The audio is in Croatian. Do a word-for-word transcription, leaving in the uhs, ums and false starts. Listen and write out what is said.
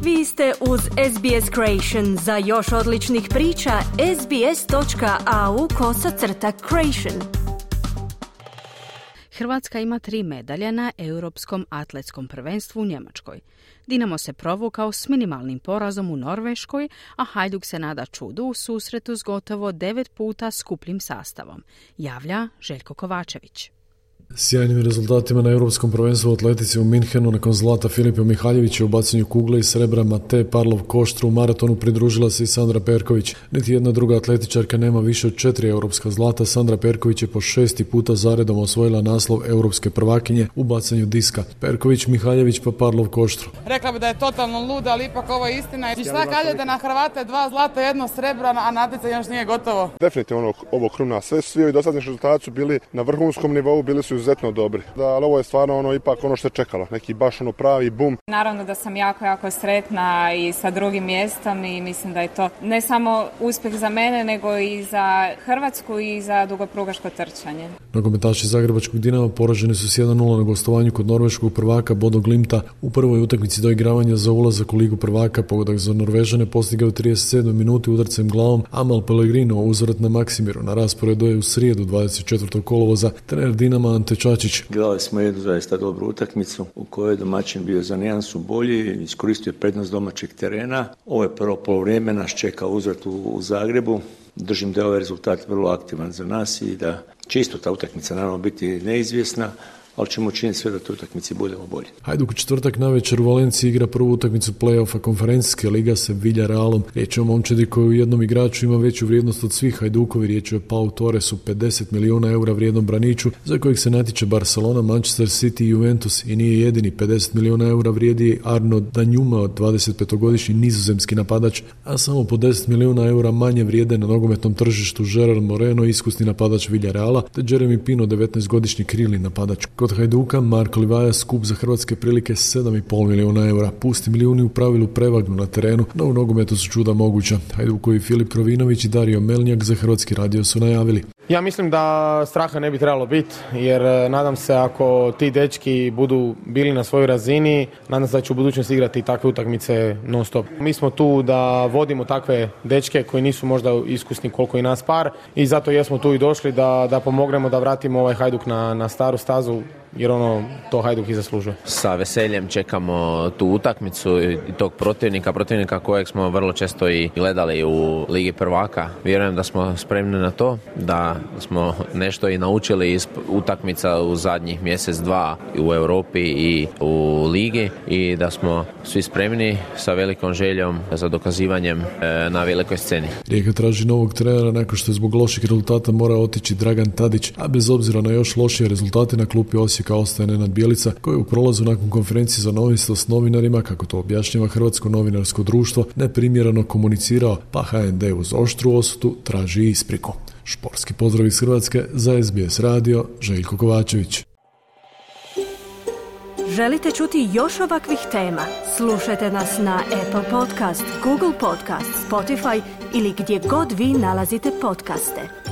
Vi ste uz S B S Creation. Za još odličnih priča, sbs.au kosacrta creation. Hrvatska ima tri medalje na Europskom atletskom prvenstvu u Njemačkoj. Dinamo se provukao s minimalnim porazom u Norveškoj, a Hajduk se nada čudu u susretu s gotovo devet puta skupljim sastavom, javlja Željko Kovačević. Sjajnim rezultatima na Europskom prvenstvu u atletici u Minhenu nakon zlata Filipa Mihaljevića u bacanju kugle i srebra Matej Parlov-Koštru u maratonu pridružila se i Sandra Perković. Niti jedna druga atletičarka nema više od četiri europska zlata. Sandra Perković je po šesti puta zaredom osvojila naslov europske prvakinje u bacanju diska. Perković, Mihaljević pa Parlov-Koštru. Rekla bi da je totalno luda, ali ipak ovo je istina. I šta kažete na Hrvate, dva zlata, jedno srebro, a natjecanje još nije gotovo? Definitivno ovo kruna. Sve svi dosadašnji rezultati su bili na vrhunskom nivou, bili su izuzetno dobri. Da, ali ovo je stvarno ono ipak ono što je čekalo, neki baš ono pravi bum. Naravno da sam jako, jako sretna i sa drugim mjestom i mislim da je to ne samo uspjeh za mene, nego i za Hrvatsku i za dugoprugaško trčanje. Nogometaši zagrebačkog Dinama poraženi su s jedan nula na gostovanju kod norveškog prvaka Bodo Glimta u prvoj utakmici doigravanja za ulazak u Ligu prvaka. Pogodak za Norvežane postigao u trideset sedmoj minuti udarcem glavom Amal Pellegrino, uzvrat na Maksimiru. Na rasporedu je u srijedu dvadeset četvrtog kolovoza trener Dinama Ante Čačić. Gledali smo jednu zaista dobru utakmicu u kojoj je domaćin bio za nijansu bolji, iskoristio prednost domaćeg terena. Ovo je prvo polovrijeme, nas čeka uzvrat u, u Zagrebu. Držim da je ovaj rezultat vrlo aktivan za nas i da će isto ta utakmica naravno biti neizvjesna, ali ćemo učiniti sve da toj utakmici budemo bolji. Hajduk u četvrtak navečer u Valenciji igra prvu utakmicu play-offa konferencijske liga sa Villarrealom. Riječ je o momčadi koji u jednom igraču ima veću vrijednost od svih Hajdukovi. Riječ je o Pau Torresu, pedeset milijuna eura vrijednom braniču, za kojeg se natječe Barcelona, Manchester City i Juventus, i nije jedini. pedeset milijuna eura vrijedi Arnaud Danjuma, dvadesetpetogodišnji nizozemski napadač, a samo po deset milijuna eura manje vrijede na nogometnom tržištu Gerard Moreno, iskusni napadač Villarreala, te Jeremy Pino, devetnaestogodišnji krilni napadač. Kod Hajduka Marko Livaja skup za hrvatske prilike sedam i pol milijuna eura. Pusti milijuni u pravilu prevagnu na terenu, no u nogometu su čuda moguća. Hajdukovi Filip Krovinović i Dario Melnjak za Hrvatski radio su najavili. Ja mislim da straha ne bi trebalo biti, jer nadam se ako ti dečki budu bili na svojoj razini, nadam se da će u budućnosti igrati takve utakmice non stop. Mi smo tu da vodimo takve dečke koji nisu možda iskusni koliko i nas par, i zato jesmo tu i došli da, da pomognemo da vratimo ovaj Hajduk na, na staru stazu, jer ono to Hajduk i zaslužuje. Sa veseljem čekamo tu utakmicu i tog protivnika, protivnika kojeg smo vrlo često i gledali u Ligi prvaka. Vjerujem da smo spremni na to, da smo nešto i naučili iz utakmica u zadnjih mjesec, dva u Europi i u Ligi, i da smo svi spremni sa velikom željom za dokazivanjem na velikoj sceni. Rijeka traži novog trenera nakon što je zbog loših rezultata mora otići Dragan Tadić, a bez obzira na još lošije rezultate na klupi Osijeka ostaje Nenad Bjelica, koji u prolazu nakon konferencije za novinstvo s novinarima, kako to objašnjava Hrvatsko novinarsko društvo, neprimjereno komunicirao, pa H N D uz oštru osudu traži ispriku. Športski pozdrav iz Hrvatske za S B S radio, Željko Kovačević. Želite čuti još ovakvih tema? Slušajte nas na Apple Podcast, Google Podcast, Spotify ili gdje god vi nalazite podcaste.